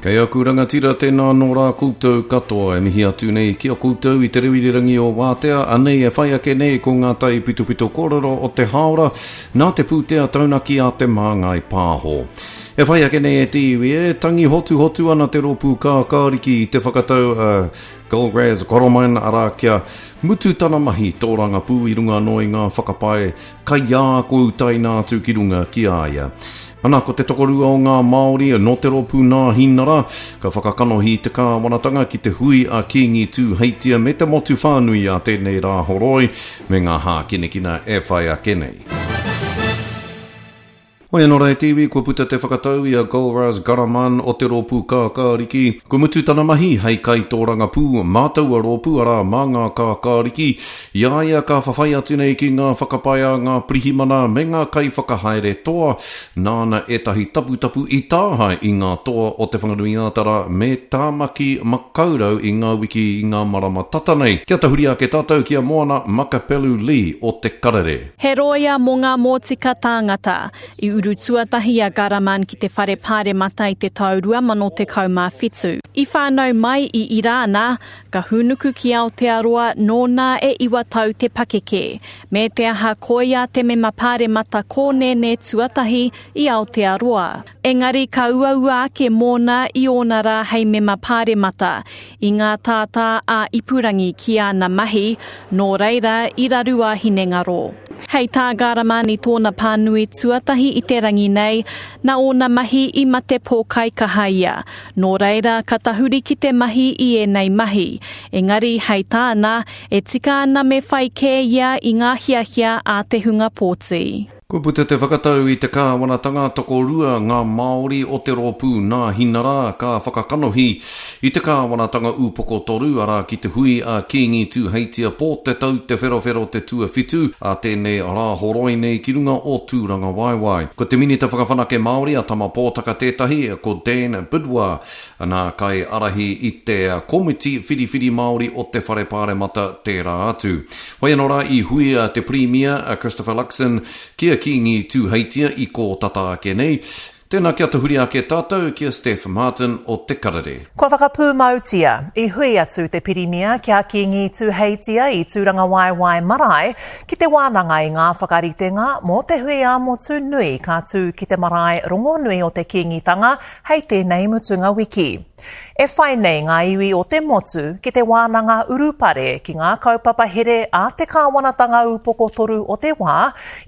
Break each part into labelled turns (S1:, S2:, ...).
S1: Kei aku rangatira tēnā nō rā koutou katoa e mihi atu nei ki a koutou i te reo irirangi o Wātea, anei e whai ake nei ko ngā taipitopito kōrero o te hāora nā te pūtea taunaki a Te Māngai Pāho. E whai ake nei e te iwi, e tangi hotuhotu ana te rōpū kākāriki i te whakatau a Golgraz Goroman, arā kia mutu tana mahi tōrangapū i runga anō i ngā whakapae kaiā kua utaina atu ki runga ki a ia. Ana, ko te tokorua o ngā Māori nō te rōpū Nāhinara, ka whakakanohi i te kāwanatanga ki te hui a Kīngi Tūheitia me te motu whānui a tēnei rā horoi me ngā hākinakina e whai ake nei. Hoi anō rā e te iwi, kua puta te whakatau i a Golraz Garaman o te rōpū Kākāriki. Kua mutu tana mahi hei kaitōrangapū mā taua rōpū, arā, mā ngā Kākāriki. I a ia ka whawhai atu nei ki ngā whakapae a ngā pirihimana me ngā kaiwhakahaere toa, nāna ētahi taputapu i tāhae i ngā toa o Te Whanganui-ā-Tara me Tāmaki Makaurau i ngā wiki, i ngā marama tata nei. Kia tahuri ake tātou ki a Moana Makapelu Lee o Te Karere.
S2: He rōia mō ngā mōtika tāngata. I uru tuatahi a Ghahraman ki te Whare Pāremata i te tau 2017. I whānau mai i Irāna, Ka hūnuku ki Aotearoa nōna e iwa tau te pakeke, me te aha koia te mema pāremata kōnēnē tuatahi i Aotearoa. Engari ka uaua ake mōna i ōna rā hei mema pāremata, i ngā tātā ā-ipurangi ki āna mahi, nō reira i raru a hinengaro. Hei tā Ghahraman i tōna pānui tuatahi i te rangi nei, nā ōna mahi i mate pōkaikaha ia, Nō reira, ka tahuri ki te mahi i ēnei mahi. Engari, hei tāna, e tika ana me whai kē ia i ngā hiahia a te hunga pōti.
S1: Kua puta te whakatau i te kāwanatanga tokorua ngā Māori o te rōpū Nāhinara ka whakakanohi i te kāwanatanga upoko toru, arā ki te hui a Kīngi Tūheitia Pō te tau te wherowhero te tuawhitu a tēnei Rāhoroi nei ki runga o Tūrangawaewae. Ko te Minita Whakawhanake Māori a Tama Pōtaka tētahi, ko Dan Bidois nā kaiārahi i te Komiti Whiriwhiri Māori o te Whare Pāremata tērā atu. Whai anō rā i hui te Pirimia a Christopher Luxon ki a Kīngi Tūheitia i kō tata ake nei. Tēnā kia tahuri ake tātou ki a Steph Martin o Te Karere.
S3: Kua whakapūmautia, i hui atu te Pirimia ki a Kīngi Tūheitia i Tūrangawaewae Marae ki te wānanga i ngā whakaritenga mō te hui ā-motu nui ka tū ki te marae rongonui o te Kīngitanga hei tēnei mutunga wiki. E whai nei ngā iwi o te motu ki te wānanga urupare ki ngā kaupapa here a te kāwanatanga upoko toru o te wā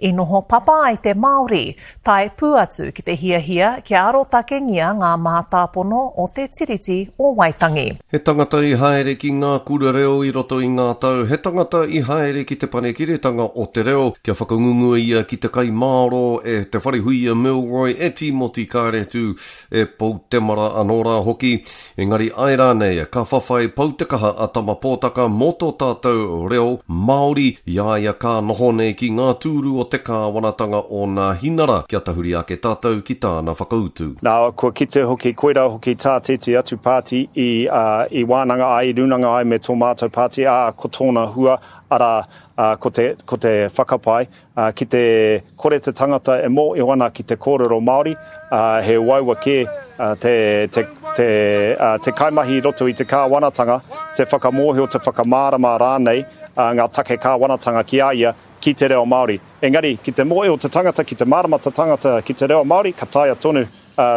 S3: i noho papa ai te Māori, Tae pū atu ki te hiahia kia arotakengia ngā mātāpono o te Tiriti o Waitangi.
S1: He tangata i haere ki ngā kura reo i roto i ngā tau, he tangata i haere ki Te Panekiretanga o te Reo kia whakangungua ia ki te kai mārō e Te Wharehuia Milroy, e Tīmoti Kāretu, e Pou Temara anō rā hoki. Engari āe rānei, ka whawhai pau te kaha a Tama Pōtaka mō tō tātou reo Māori i a ia ka noho nei ki ngā tūru o te kāwanatanga o Nāhinara, kia tahuri ake tātou ki tāna whakautu.
S4: Nā, kua kite hoki, koirā hoki tā tētehi atu pāti i, ā, i wānanga ai, i rūnanga ai me tō mātou pāti, ā, ko tōna hua, arā, ā, ko te, ko te whakapae, Ā, ki te kore te tangata e mōhio ana ki te kōrero Māori, ā, he uaua kē te, te, te, ā, te kaimahi i roto i te kāwanatanga te whakamōhio, te whakamārama rānei ngā take kāwanatanga ki a ia ki te reo Māori. Engari, ki te mōhio te tangata, ki te mārama te tangata ki te reo Māori, ka taea tonu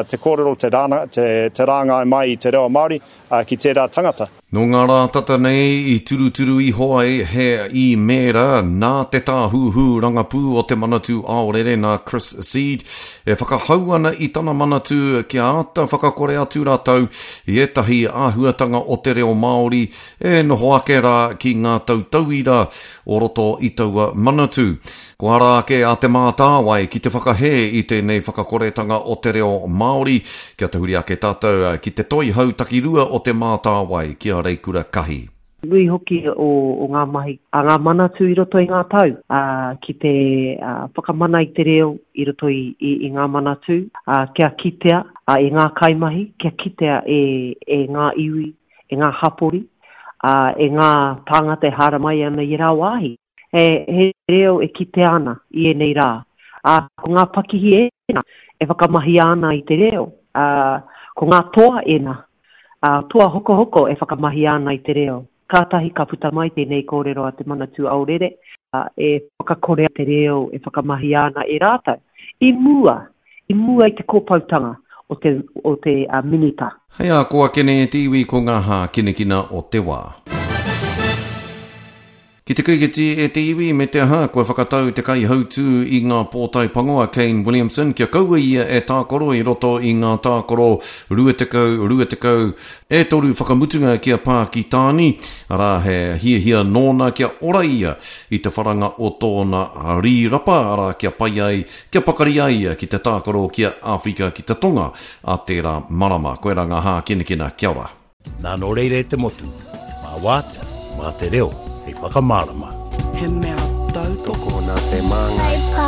S4: te kōrero, te, te, te rāngai mai i te reo Māori ki tērā tangata.
S1: Nō ngā rā tata nei i turuturu iho ai he īmēra nā te Tāhuhu Rangapū o te Manatū Aorere nā Chris Seed e whakahau ana i tana manatū kia āta whakakore atu rātou i ētahi āhuatanga o te reo Māori e noho ake rā ki ngā tautauira o roto i taua manatū. Kua ara ake a Te Mātāwai ki te whakahē i tēnei whakakoretanga o te reo Māori. Kia tahuri ake tātou ki te toihau takirua o Te Mātāwai, ki a Reikura Kahi.
S5: Nui hoki o ngā mahi a ngā manatū i roto i ngā tau, ā, ki te whakamana i te reo i roto i ngā manatū, ā, kia kitea e ngā kaimahi, kia kitea e ngā iwi, e ngā hapori, ā, e ngā tāngata e haere mai ana i ērā wāhi. He reo e kitea ana i ēnei rā. Ā, ko ngā pakihi ēnā e whakamahia ana i te reo. Ā, Ko ngā toa ēnā, ā, toa hokohoko e whakamahia ana i te reo. Kātahi ka puta mai tēnei kōrero a Te Manatū Aorere, ā, e whakakorea te reo e whakamahia ana e rātou i mua, i mua i te kōpoutanga o te, o te Minita.
S1: Hei a kō ake nei e te iwi ko ngā hākinakina o te wā. Ki te kirikiti e te iwi me te aha, kua whakatau te kaihautū i ngā pōtae pango a Kane Williamson kia kaua ia e tākaro i roto i ngā tākaro 20, 20, e toru whakamutunga ki a Pākitāni, arā he hiahia nōna kia ora ia i te wharanga o tōna rīrapa, arā kia pai ai, kia pakari ai ia ki te tākaro ki a Āwherika ki te Tonga a tērā marama. Koirā ngā hākinakina. Kia ora.
S6: Nā nō reira e te motu, mā Wātea, mā te reo hei whakamārama.
S7: He mea tautoko.
S8: Tokona te māngai.